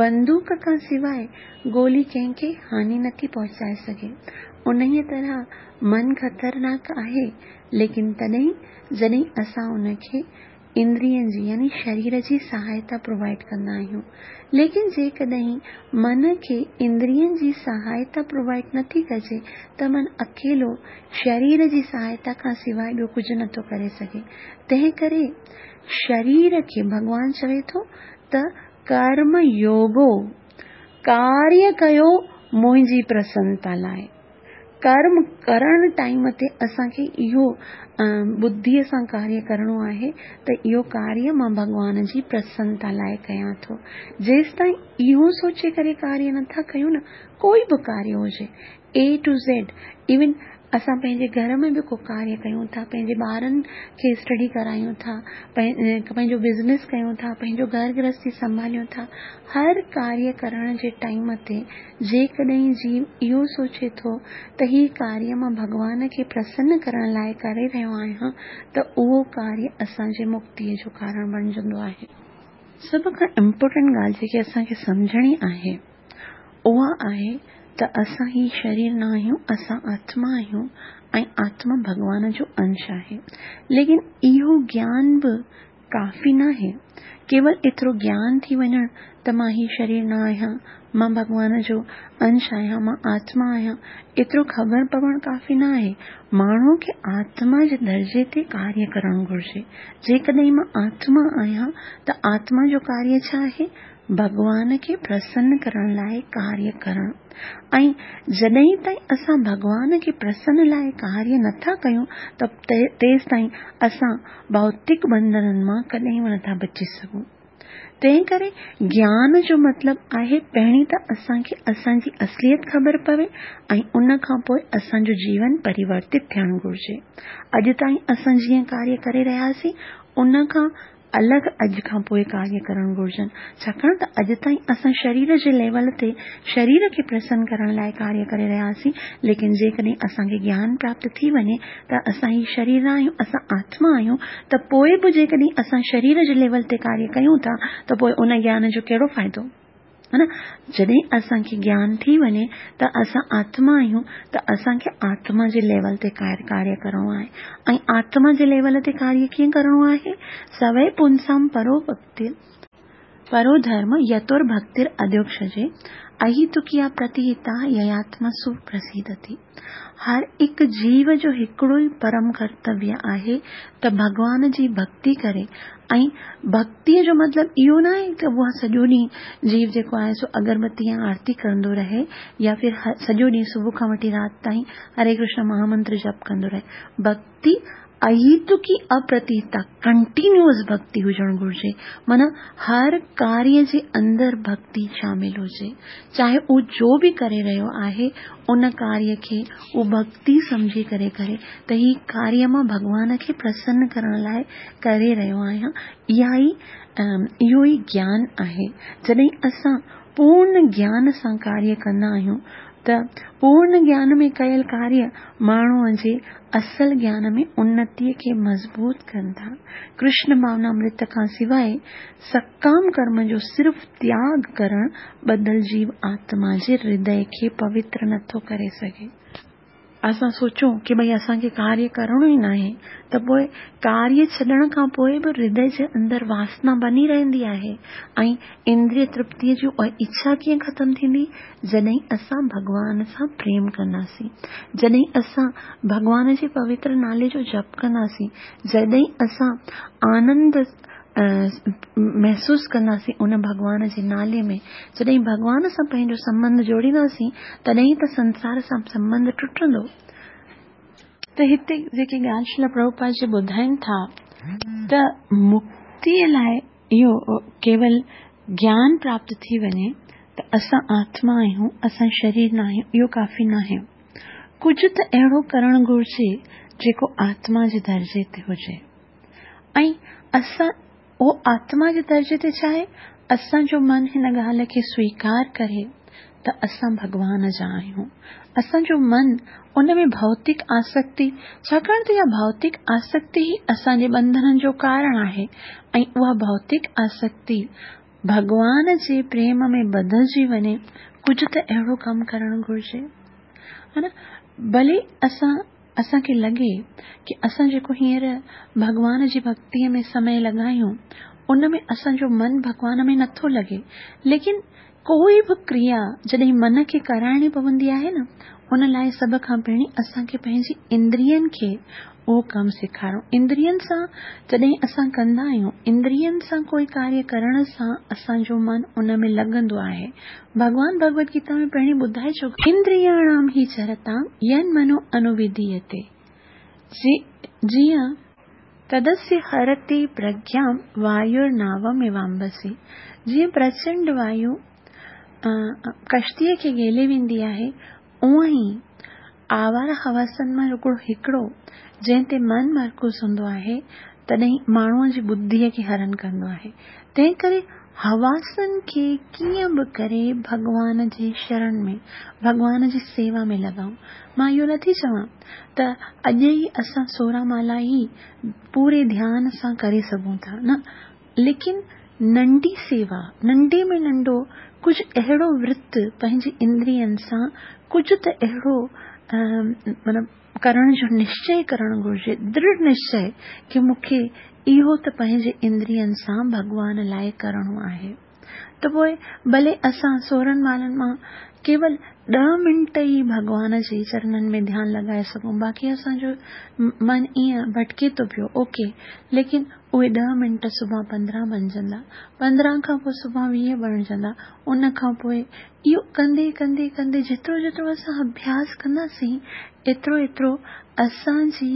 [SPEAKER 1] بندوق کان سواء گولي ڪنهن کي هاني نٿي پهچائي سگهي. انهيء طرح من خطرناڪ آهي، ليڪن تڏهن جڏهن اسان ان کي اندرين جي يعني شرير جي سهائتا پرووائيڊ ڪندا آهيون. ليڪن جيڪڏهن من کي اندرين جي سهائتا پرووائيڊ نٿي ڪجي ته من اڪيلو شرير جي سهائتا کان سواء ٻيو ڪجهه نٿو ڪري سگهي. تنهن ڪري شرير کي ڀڳوان چوي ٿو ته ڪرم يوگو، ڪاريه ڪيو منهنجي پرسنتا لاء. ڪرم ڪرڻ ٽائيم تي اسان کي اهو ٻڌيء سان ڪاريه ڪرڻو آهي ته اهو ڪاريه مان ڀڳوان جي پرسنتا لاء ڪيان ٿو. جيستائين اهو سوچي ڪري ڪاريه نٿا ڪيون نه، ڪوئي به ڪاريه هجي، اي ٽو زيڊ، ايون اسان پنهنجي گهر ۾ به ڪو ڪاريه ڪيون ٿا، پنهنجي ٻارن کي اسٽڊي ڪرايون ٿا، پنهنجو بزنس ڪيون ٿا، پنهنجو گهر گرهستي سنڀاليون ٿا، هر ڪاريه ڪرڻ جي ٽائيم تي جيڪڏهن جيو اهو سوچي ٿو ته هي ڪاريه مان ڀڳوان کي پرسن ڪرڻ لاءِ ڪري رهيو آهيان ته اهو ڪاريه اسان جي مڪتيءَ جو ڪارڻ بڻجندو آهي. سڀ کان امپورٽنٽ ڳالهه جيڪي اسان کي سمجهڻي آهي اها آهي ته اسان هي شرير نه آهيون، اسان آتما آهيون ۽ آتما ڀڳوان جو انش آهي. ليڪن اهو گيان به ڪافي ناهي. ڪيول ايترو گيان ٿي وڃڻ ته مان هي شرير نه آهيان، مان ڀڳوان جو انش آهيان، مان آتما آهيان، ايترو خبر پوڻ ڪافي نه آهي. ماڻهوءَ کي آتما جي درجي تي ڪاريه ڪرڻ گهرجي. جيڪڏهن مان آتما آهيان ته آتما جو ڪاريه ڇا آهي؟ ڀڳوان کي پرسن ڪرڻ لاءِ ڪاريه ڪرڻ. ۽ جڏهن تائين اسان ڀڳوان کي پرسن لاءِ ڪاريه نٿا ڪيون ته تيس تائين اسان ڀوتڪ ٻنڌنن مان ڪڏهن به نٿا بچي سگهون. تنهن ڪري گيان جو مطلب آهي پهرين ته اسان کي اسان جي اصليت خبر پوي ۽ ان کان پوءِ اسان جو جيون پريورتت ٿيڻ گهرجي. اڄ تائين اسان جيئن ڪاريه ڪري رهياسين ان کان الڳ اڄ کان پوءِ ڪاريه ڪرڻ گهرجن، ڇاڪاڻ ته اڄ تائين اسان شرير جي ليول تي شرير کي پرسن ڪرڻ لاءِ ڪاريه ڪري رهياسين، ليڪن جيڪڏهن اسان کي گيان پراپت ٿي وڃي ته اسان هي شرير نه آهيون، اسان آتما آهيون، ته پوءِ به جيڪڏهن اسان شرير جي ليول تي ڪاريه ڪيون ٿا ته پوءِ ان گيان جو ڪهڙو فائدو؟ ها نه؟ جڏهن اسان کي گيان ٿي وڃي ته اسان آتما آهيون ته اسان کي آتما جي ليول تي ڪاريه ڪرڻو آهي. ۽ آتما جي ليول تي ڪاريه ڪيئن ڪرڻو آهي؟ سوي پنسام پرو ڀڪتي پرو ڌرم يتور ڀڪتر اڌيوڪشجي اهتڪيا پرتيهتا يياتما سپرسيدتي. هر هڪ جيو جو هڪڙو ئي پرم ڪرتويه آهي ته ڀڳوان جي ڀڪتي ڪري. ۽ ڀڪتيءَ جو مطلب اهو نه آهي ته اها سڄو ڏينهن جيو جيڪو آهي سو اگربتي يا آرتي ڪندو رهي يا ڦر سڄو ڏينهن صبح کان وٺي رات تائين هري ڪرشن مهامنتر جپ ڪندو رهي. ڀڪتي اهتڪي اپرتيتا ڪنٽينيوئس ڀڪتي هجڻ گهرجي، معنيٰ هر ڪاريه جي اندر ڀڪتي شامل هجي، چاهي اهو جو به ڪري رهيو آهي ان ڪاريه کي اهو ڀڪتي سمجهي ڪري ڪري ته هي ڪاريه مان ڀڳوان کي پرسن ڪرڻ لاءِ ڪري رهيو آهيان. اها ئي اهو ئي گيان آهي. جڏهن اسان پورڻ گيان سان ڪاريه ڪندا آهيون ته پورڻ گيان ۾ ڪيل ڪاريه ماڻهوءَ جي اصل گيان ۾ انتيءَ کي مضبوط ڪن ٿا. ڪرشن ڀاونامرت کان سواءِ سڪام ڪرم جو صرف تياڳ ڪرڻ ٻڌل جيو آتما جي هردي کي پوتر نٿو ڪري سگهي. اسان سوچون ڪه ڀئي اسان کي ڪاريه ڪرڻو ئي ناهي ته پوءِ ڪاريه ڇڏڻ کان پوءِ به هردي جي اندر واسنا بني رهندي آهي ۽ اندريه ترپتيءَ جي اڇا ڪيئن ختم ٿيندي؟ جڏهن اسان ڀڳوان سان پريم ڪنداسين، جڏهن اسان ڀڳوان جي پوتر نالي جو جپ ڪنداسين، جڏهن اسان آنند محسوس ڪنداسين ان ڀڳوان جي نالي ۾، جڏهن ڀڳوان سان پنهنجو سنٻنڌ جوڙينداسين تڏهن ته سنسار سان سنٻنڌ ٽٽندو. ته هتي جيڪي ڳالهه شريل پرڀوپاد جي ٻڌائين ٿا ته مڪتيءَ لاءِ اهو ڪيول گيان پراپت ٿي وڃي ته اسان آتما آهيون، اسان شرير نه آهيون، اهو ڪافي نه آهي. ڪجهه ته اهڙو ڪرڻ گهرجي جيڪو آتما جي درجي تي هجي. ۽ اسان اهو آتما جي درجي تي ڇا آهي؟ اسان جو من هن ڳالهه کي سويڪار ڪري ته اسان ڀڳوان جا آهيون. اسان جو من ان ۾ ڀوتڪ آسڪتي، ڇاڪاڻ ته اها ڀوتڪ آسڪتي ئي اسان جي ٻنڌنن جو ڪارڻ آهي ۽ اها ڀوتڪ آسڪتي ڀڳوان جي پريم ۾ بدلجي وڃي، ڪجهه ته اهڙو ڪم ڪرڻ گهرجي، ها نه؟ ڀلي اسان اسان کي لڳي ڪه اسان جيڪو هينئر ڀڳوان جي ڀڪتيءَ ۾ سمي لڳايون ان ۾ اسان جو من ڀڳوان ۾ نٿو لڳي، ليڪن ڪوئي به ڪريا جڏهن من کي ڪرائڻي پوندي آهي نه، ان لاءِ سڀ کان پهرين اسان کي پنهنجي اندرين کي اهو ڪم سيکارڻو. اندرين سان جڏهن اسان ڪندا آهيون، اندرين سان ڪوئي ڪاريه ڪرڻ سان اسان جو من ان ۾ لڳندو آهي. ڀڳوان ڀڳوت گيتا ۾ پهرين ٻڌائي چڪو، اندرياڻام هي چرتام ين منو انووڌييتي، جيئن تدسيه هرتي پرگيام وايورناوميوامبسي، جيئن پرچنڊ وايو ڪشتيءَ کي گهيلي ويندي آهي، اونئن ئي آواره حواسن مان رڳو هڪڙو جنهن تي من مرڪوز هوندو آهي، تڏهن ماڻهوء جي ٻڌيء کي هرڻ ڪندو آهي. تنهن ڪري حواسن کي ڪيئن به ڪري ڀڳوان جي شرڻ ۾، ڀڳوان جي سيوا ۾ لڳائون. مان اهو نٿي چوان ته اڄ ئي اسان سورهن مالا ئي پوري ڌيان سان ڪري سگهون ٿا، نه، ليڪن ننڍي سيوا، ننڍي ۾ ننڍو ڪجهه اهڙو ورت پنهنجي اندرين سان ڪجهه ته اهڙو مطلب ڪرڻ جو نشچي ڪرڻ گهرجي، درڙهه نشچي ڪه مون کي اهو ته پنهنجي اندرين سان ڀڳوان لاءِ ڪرڻو آهي. ته پوءِ ڀلي اسان سورهن مالن مان ڪيول ڏهه منٽ ئي ڀڳوان جي چرنن ۾ ڌيان لڳائي سگهون، باقي اسان جو من ائين ڀٽڪي ٿو پيو، اوڪي، ليڪن اهي ڏهه منٽ سڀان پندرهن بڻجندا، پندرهن کان پوءِ سڀان ويهه بڻجندا، ان کان پوءِ اهو ڪندي ڪندي ڪندي جيترو جيترو اسان اڀياس ڪنداسين ايترو ايترو اسان جي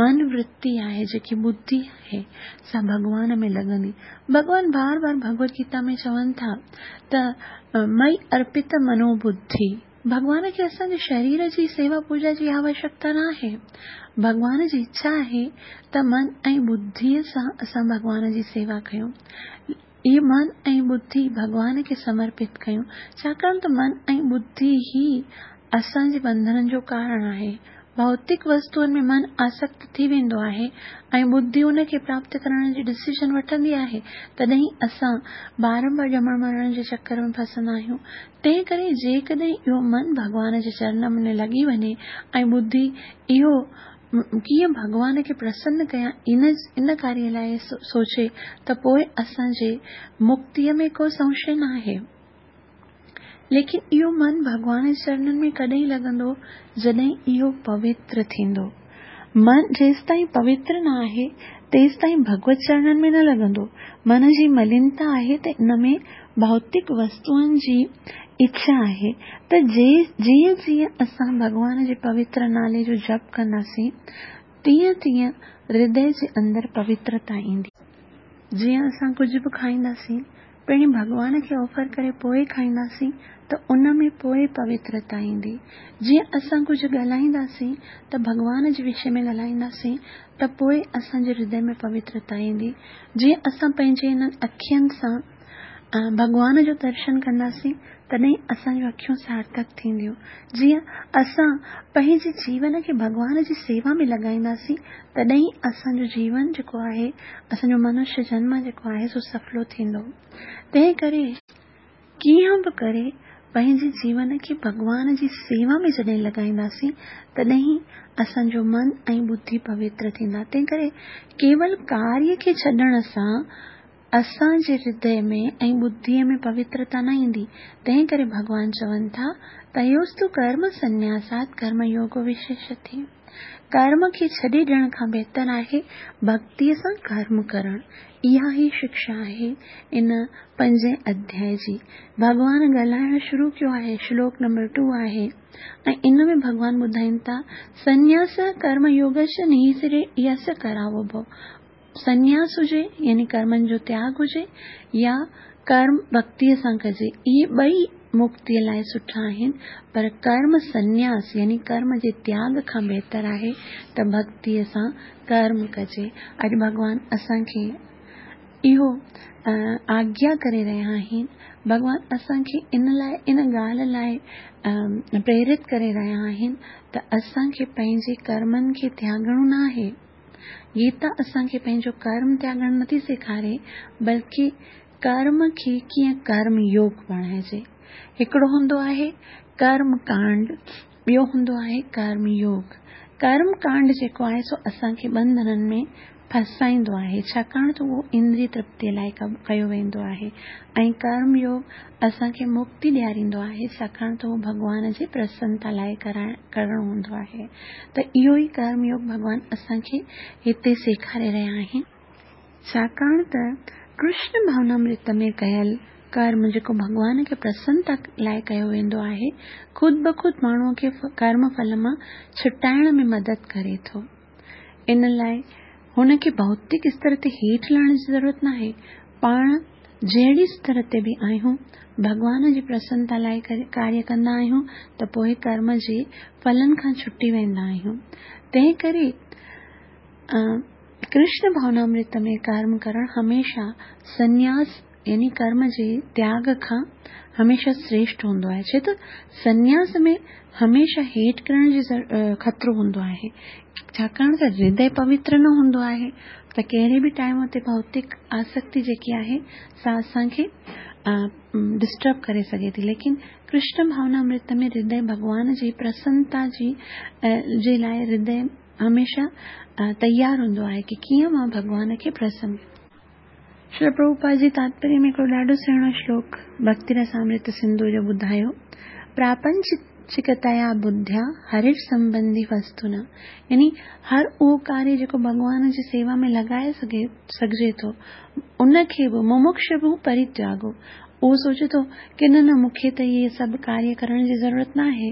[SPEAKER 1] من ورتي آهي، جيڪي ٻڌي آهي، سا ڀڳوان ۾ لڳندي. ڀڳوان بار بار ڀڳوت گيتا ۾ چون ٿا ته مئي ارپت منوبڌي. ڀڳوان کي اسان جي شرير جي سيوا پوڄا جي آوشيڪتا نه آهي. ڀڳوان جي اڇا آهي ته من ۽ ٻڌيءَ سان اسان ڀڳوان جي سيوا ڪيون. اهي من ۽ ٻڌي ڀڳوان کي سمرپت ڪيون، ڇاڪاڻ ته من ۽ ٻڌي ئي اسان جي ٻنڌنن جو ڪارڻ آهي. ڀوتڪ وستوئن ۾ من آسڪت ٿي ويندو آهي ۽ ٻڌي ان کي پراپت ڪرڻ جي ڊسيزن وٺندي آهي، تڏهن اسان بارمبار ڄمڻ مرڻ جي چڪر ۾ ڦسندا آهيون. تنهن ڪري جيڪڏهن اهو من ڀڳوان جي چرڻن ۾ لڳي وڃي ۽ ٻڌي اهو ڪيئن ڀڳوان کي پرسن ڪيان ان ان ڪاريه لاءِ سوچي، ته پوءِ اسان جي مڪتيءَ ۾ ڪو سنشي نه آهي. ليڪن اهو من ڀڳوان جي چرڻن ۾ ڪڏهن لڳندو؟ جڏهن اهو پوتر ٿيندو. من جيستائين پوتر نه آهي تيستائين ڀڳوت چرڻن ۾ نه لڳندو. من جي ملينتا آهي ته ان ۾ ڀوتڪ وستوئن جي اڇا آهي. ته جيئن جيئن اسان ڀڳوان جي پوتر نالي جو جپ ڪنداسين تيئن تيئن هردي جي اندر پوترتا ايندي. جيئن اسان ڪجهه به کائينداسين پهرين ڀڳوان کي آفر ڪري پوءِ کائينداسين ته ان ۾ پوءِ پوترتا ايندي. جيئن اسان ڪجهه ڳالهائينداسين ته ڀڳوان جي وشي ۾ ڳالهائينداسين ته پوءِ اسان جي هردي ۾ پوترتا ايندي. جيئن اسان پنهنجي هنن اکين سان ڀڳوان جو درشن ڪنداسين تڏهن اسان جون اکيون سارٿڪ ٿينديون. جيئن اسان پنهنجي جيون کي ڀڳوان جي سيوا ۾ لڳائينداسين تڏهن اسان جو جيون جيڪو آهي، اسان جو منشيه جنم جيڪو آهي سو سڦلو ٿيندو. تنهن ڪري ڪيئن به ڪري پنهنجي جيون کي ڀڳوان جي سيوا ۾ جڏهن لڳائينداسين تڏهن اسان جو من ۽ ٻڌي پوتر ٿيندا. تنهن ڪري ڪيول ڪاريه کي ڇڏڻ سان اسان جي هردي ۾ ۽ ٻڌيءَ ۾ پوترتا نه ايندي. تنهن ڪري ڀڳوان چون ٿا تيوستو ڪرم سنياسات ڪرم يوگ وشيشتي. ڪرم کي ڇڏي ڏيڻ کان بهتر آهي ڀڪتيءَ سان ڪرم ڪرڻ. اها ئي شڪشا آهي ان پنجين اڌياءِ جي. ڀڳوان ڳالهائڻ شروع ڪيو آهي، شلوڪ نمبر ٽو آهي ۽ ان ۾ ڀڳوان ٻڌائين ٿا سنياس ڪرم يوگش نيسري يس ڪراوو. سنياس هجي يعني ڪرمن جو تياڳ هجي يا ڪرم ڀڪتيءَ سان ڪجي، اهي ٻئي مڪتيءَ لاءِ سٺا آهن، پر ڪرم سنياس يعني ڪرم جي تياڳ کان بهتر آهي ته ڀڪتيءَ سان ڪرم ڪجي. اڄ ڀڳوان اسان کي اهو آگيا ڪري رهيا آهن، ڀڳوان اسان کي ان لاءِ ان ڳالهه لاءِ پريرت ڪري رهيا آهن ته اسان کي پنهنجي ڪرمن کي تياڳڻو نه آهي. گيتا اسان کي پنهنجو ڪرم تياڳڻ نٿي سيکاري، بلڪه ڪرم کي ڪيئن ڪرم يوگ بڻائجي. هڪڙو هوندو آهي ڪرم ڪانڊ، ٻيو هوندو آهي ڪرم يوگ. ڪرم ڪانڊ جيڪو آهي سو اسان کي ٻنڌنن ۾ ڦسائيندو آهي، ڇاڪاڻ ته اهو اندريه ترپتيءَ لاءِ ڪيو ويندو آهي، ۽ ڪرم يوگ اسان کي مڪتي ڏياريندو آهي، ڇاڪاڻ ته اهو ڀڳوان جي پرسنتا لاءِ ڪرڻو هوندو آهي. ته اهو ئي ڪرم يوگ ڀڳوان اسان کي هتي سيکاري رهيا آهن. ڇاڪاڻ ته ڪرشن ڀاونامرت ۾ ڪيل ڪرم جيڪو ڀڳوان کي پرسنتا لاءِ ڪيو ويندو آهي، خود بخود ماڻهوءَ کي ڪرم ڦل مان ڇٽائڻ ۾ مدد ڪري ٿو. ان لاءِ هن کي ڀوتڪ استر تي هيٺ لهڻ جي ضرورت نه آهي. پاڻ جهڙي ستر تي به آهيون ڀڳوان جي پرسنتا لاءِ ڪاريه ڪندا آهيون ته پوءِ ڪرم جي ڦلن کان ڇٽي ويندا آهيون. تنهن ڪري ڪرشن ڀاونامرت ۾ ڪرم ڪرڻ هميشه سنياس يعني ڪرم جي تياڳ کان هميشه شريشٺ هوندو آهي. ڇو ته سنياس ۾ هميشه هيٺ ڪرڻ جي خطرو هوندو آهي، ڇاڪاڻ ته هردي پوتر نه هوندو آهي ته ڪهڙي به ٽائيم تي ڀوتڪ آسڪتي جيڪي آهي سا اسان کي ڊسٽرب ڪري سگهي ٿي. ليڪن ڪرشن ڀاونامرت ۾ هردي ڀڳوان جي پرسنتا جي جي لاءِ هردي هميشه تيار هوندو آهي ڪه ڪيئن مان ڀڳوان کي پرسن. شري پرڀوپاد جي تاتپريه ۾ هڪڙو ڏاڍو سهڻو شلوڪ ڀڪتي رسامرت سنڌو جو ٻڌايو، پراپنچڪتيا ٻڌيا هري سنٻنڌي وستونا، يعني هر اهو ڪاريه جيڪو ڀڳوان جي سيوا ۾ لڳائي سگهي سگهجي ٿو ان کي به ممڪش به پرتياڳو. اهو سوچي ٿو ڪه نه نه مون کي ته اهي سڀ ڪاريه ڪرڻ جي ضرورت نه آهي،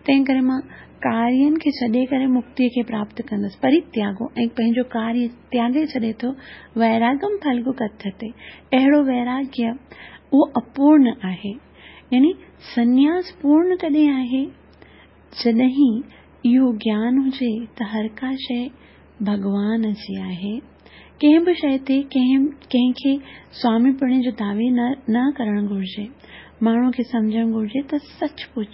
[SPEAKER 1] تنهن ڪري مان ڪارين کي ڇڏي ڪري مڪتيءَ کي پراپت ڪندس. پرتياڳو ۽ پنهنجو ڪاريه تياڳي ڇڏي ٿو. ويراگم ڦلگو ڪٿيتي، اهڙو ويراگيه اهو اپورڻ آهي. يعني سنياس پورڻ ڪڏهن آهي؟ جڏهن اهو گيان هجي ته هر ڪا شيءِ ڀڳوان جي آهي. ڪنهن به شيءِ تي ڪنهن ڪنهن کي سوامي پڻي جو دعوي نه نه ڪرڻ گهرجي. ماڻهوءَ کي سمجهڻ گهرجي ته سچ پچ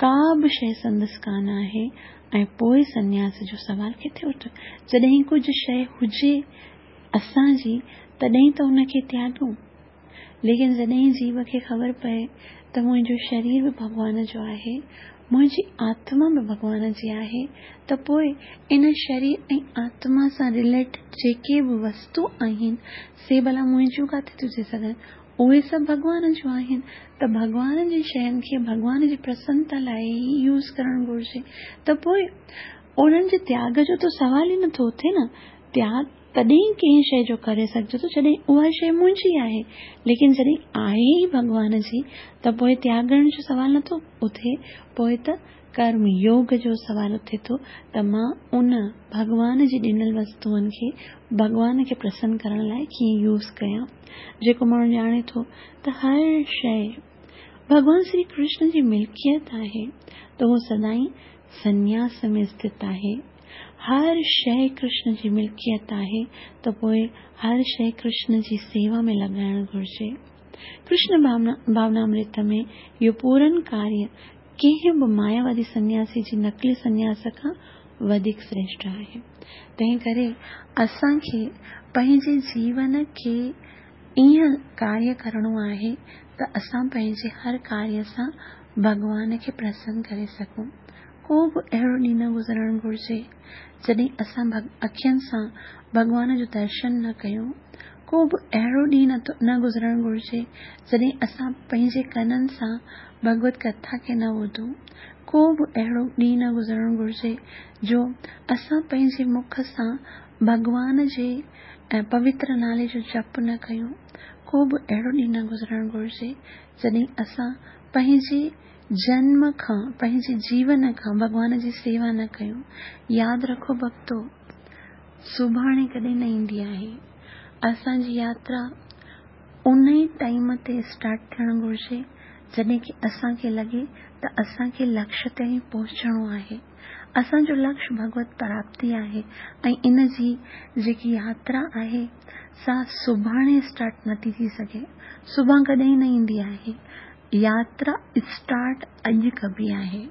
[SPEAKER 1] ڪا به شيءِ سندس ڪانه آهي ۽ پوءِ سنياس جو سوال ڪٿي اٿي؟ جڏهن ڪجهه شيءِ هجي اسان جي تڏهن ته ان کي تياڳون. ليڪن جڏهن جيو کي خبر پئي ته منهنجو شرير به ڀڳوان جو آهي، منهنجي آتما به ڀڳوان جي آهي، ته پوءِ ان شرير ۽ آتما سان رليٽيڊ جيڪي به وستو آهن سي ڀلا منهنجون ڪاٿي ٿيون ٿي سگهن؟ اهي سڀ ڀڳوان جون آهن. ته ڀڳوان جي شين کي ڀڳوان جي پرسنتا لاءِ ئي يوز ڪرڻ گهرجي. ته پوءِ انهن جي تياڳ جو ته سوال ئي نٿو اٿي نه. تياڳ تڏهن ڪنهن شيءِ جو ڪري سگهجي ٿو جڏهن اها شيءِ منهنجي آهي. ليڪن جڏهن آهي ئي ڀڳوان جي ته پوءِ تياڳڻ جو سوال نٿو اٿي. پوءِ ته ڪرم يوگ جو سوال اٿي ٿو ته مان ان ڀڳوان جي ڏنل وستوئن کي ڀڳوان کي پرسن ڪرڻ لاءِ ڪيئن يوز ڪيان. جيڪو ماڻهو ڄاڻي ٿو ته هر شيءِ ڀڳوان شري ڪرشن جي ملڪيت آهي ته اهو سدائين سنياس ۾ اسٿت آهي. هر شيءِ ڪرشن جي ملڪيت آهي ته پوءِ هر شيءِ ڪرشن جي سيوا ۾ لڳائڻ گهرجي. ڪرشن ڀاونا ڀاونامرت ۾ اهو پورن ڪاريه ڪنهن به ماياوادي سنياسي جي نقلي سنياس کان وڌيڪ شريشٺ آهي. تنهن ڪري اسان کي پنهنجي جيون کي ائين ڪاريه ڪرڻو آهي ته اسان پنهنجي هر ڪاريه سان ڀڳوان کي پرسن ڪري سگهون. ڪو به اهڙو ڏينهن نه گذرڻ گهرجي جڏهن اسان اکين سان ڀڳوان جو درشن نه ڪيون. ڪو به اهڙو ڏينهن نه گذرڻ گهرجي جڏهن اسان پنهنجي ڪنن سان ڀڳوت ڪٿا کي نه ٻڌون. ڪو به اهڙو ڏينهن نه گذرڻ گهرجي جو اسان پنهنجي مک سان ڀڳوان جي پوتر نالي جو جپ نه ڪيون. ڪو به اهڙو ڏينهن نه گذرڻ گهرجي جڏهن اسان پنهنجي جنم کان پنهنجي جيون کان ڀڳوان جي سيوا نه ڪيون. ياد رکو ڀڪتو، سڀاڻي ڪڏهن نه ايندي آهي. اسان جي ياترا ان ئي ٽائيم تي اسٽارٽ ٿيڻ گهرجي جڏهن ڪه اسان کي لڳي ته اسان کي لڪشيه تائين پهچڻو آهي. اسان جو لڪشيه ڀڳوت پراپتي آهي ۽ ان جي جيڪي ياترا آهي سا سڀاڻي اسٽارٽ نٿي ٿي سگهي. سڀاڻي ڪڏهن نه ايندي آهي. ياترا اسٽارٽ اڄ ڪبي آهي.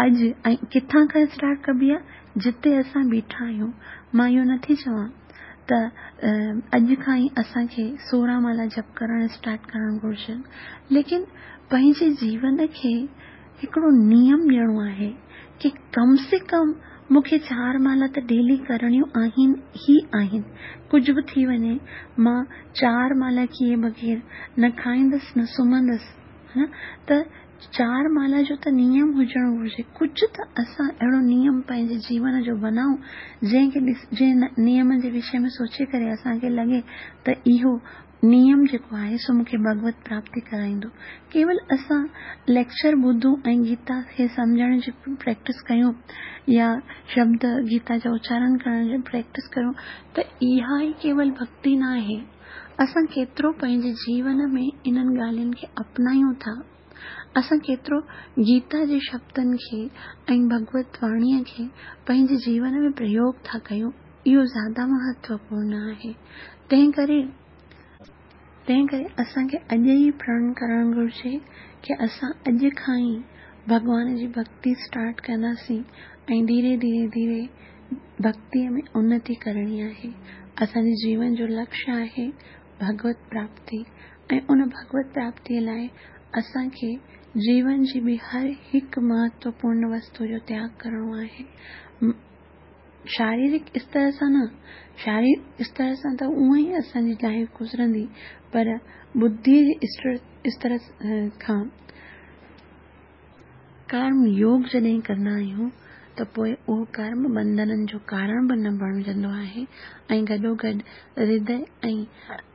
[SPEAKER 1] اڄ ۽ ڪٿان کان اسٽارٽ ڪبي آهي؟ جتي اسان بيٺا آهيون. مان اهو نٿي چوان ته اڄ کان ئي اسان کي سورهن مالا جپ ڪرڻ اسٽارٽ ڪرڻ گهرجن، ليڪن پنهنجي جيون کي هڪڙو نيم ڏيڻو آهي ڪه ڪم سي ڪم مون کي چار مالا ته ڊيلي ڪرڻيون آهن ئي آهن. ڪجهه به ٿي وڃي مان چار مالا ڪيئي بغير نه کائيندس نه سمهندس. ته चार माला जो त नियम हुजणु घुरिजे। कुझु त असां अहिड़ो नियम पंहिंजे जीवन जो बनाऊं जंहिंखे जंहिं नियम जे विषय में सोचे करे असांखे लॻे त इहो नियम जेको आहे सो मूंखे भगवत प्राप्ति कराईंदो। केवल असां लेक्चर ॿुधूं ऐं गीता खे सम्झण जी प्रैक्टिस कयूं या शब्द गीता जा उचारण करण जी प्रैक्टिस कयूं त इहा ई केवल भक्ति न आहे। असां केतिरो पंहिंजे जीवन में इन्हनि ॻाल्हियुनि खे अपनायूं था, असां केतिरो गीता जे शब्दनि खे ऐं भगवत वाणीअ खे पंहिंजे जीवन में प्रयोग था कयूं, इहो ज़्यादा महत्वपूर्ण आहे। तंहिं करे तंहिं करे असांखे अॼु ई प्रण करणु घुरिजे की असां अॼु खां ई भॻवान जी भक्ति स्टार्ट कंदासीं ऐं धीरे धीरे धीरे भक्तीअ में उन्नति करणी आहे। असांजे जीवन जो लक्ष्य आहे भगवत प्राप्ति ऐं उन भगवत प्राप्तीअ लाइ असांखे जीवन जी बि हर हिकु महत्वपूर्ण वस्तु जो त्याग करिणो आहे। शारीरिक स्तर सां न, शारीरिक स्तर सां त उअं ई असांजी लाइफ गुज़रंदी, पर बुद्धि जे स्तर खां कर्म योग जॾहिं कंदा आहियूं त पोइ उहो कर्म बंधननि जो कारण बि न बणिजंदो आहे ऐं गॾोगॾु हृदय ऐं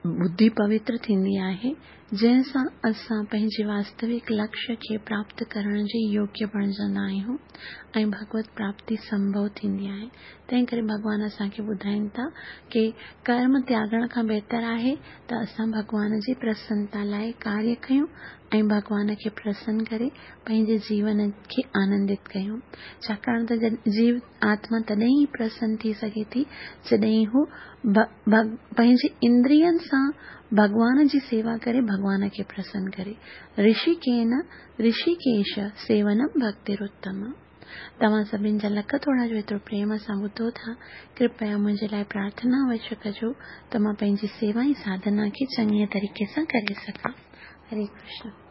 [SPEAKER 1] बुद्धि पवित्र थींदी आहे, जंहिंसां असां पंहिंजे वास्तविक लक्ष्य खे प्राप्त करण जे योग्य बणिजंदा आहियूं ऐं भगवत प्राप्ति संभव थींदी आहे। तंहिं करे भॻवान असांखे ॿुधाइनि था की कर्म त्यागण खां बहितर आहे त असां भॻवान जी प्रसन्नता लाइ कार्य कयूं ऐं भॻवान खे प्रसन्न करे पंहिंजे जीवन खे आनंदित कयूं। छाकाणि त जीव आत्मा तॾहिं ई प्रसन्न थी सघे थी जॾहिं हू पंहिंजे इंद्रियनि सां भॻवान जी सेवा करे, भॻवान खे प्रसन्न करे। ऋषिकेन ऋषिकेश सेवनम भक्तिरुत्तम। तव्हां सभिनी जा लख थोरा जो एतिरो प्रेम सां ॿुधो था, कृपया मुंहिंजे लाइ प्रार्थना अवश्य कजो त मां पंहिंजी सेवा ऐं साधना खे चङीअ तरीक़े सां करे सघां। हरे कृष्ण।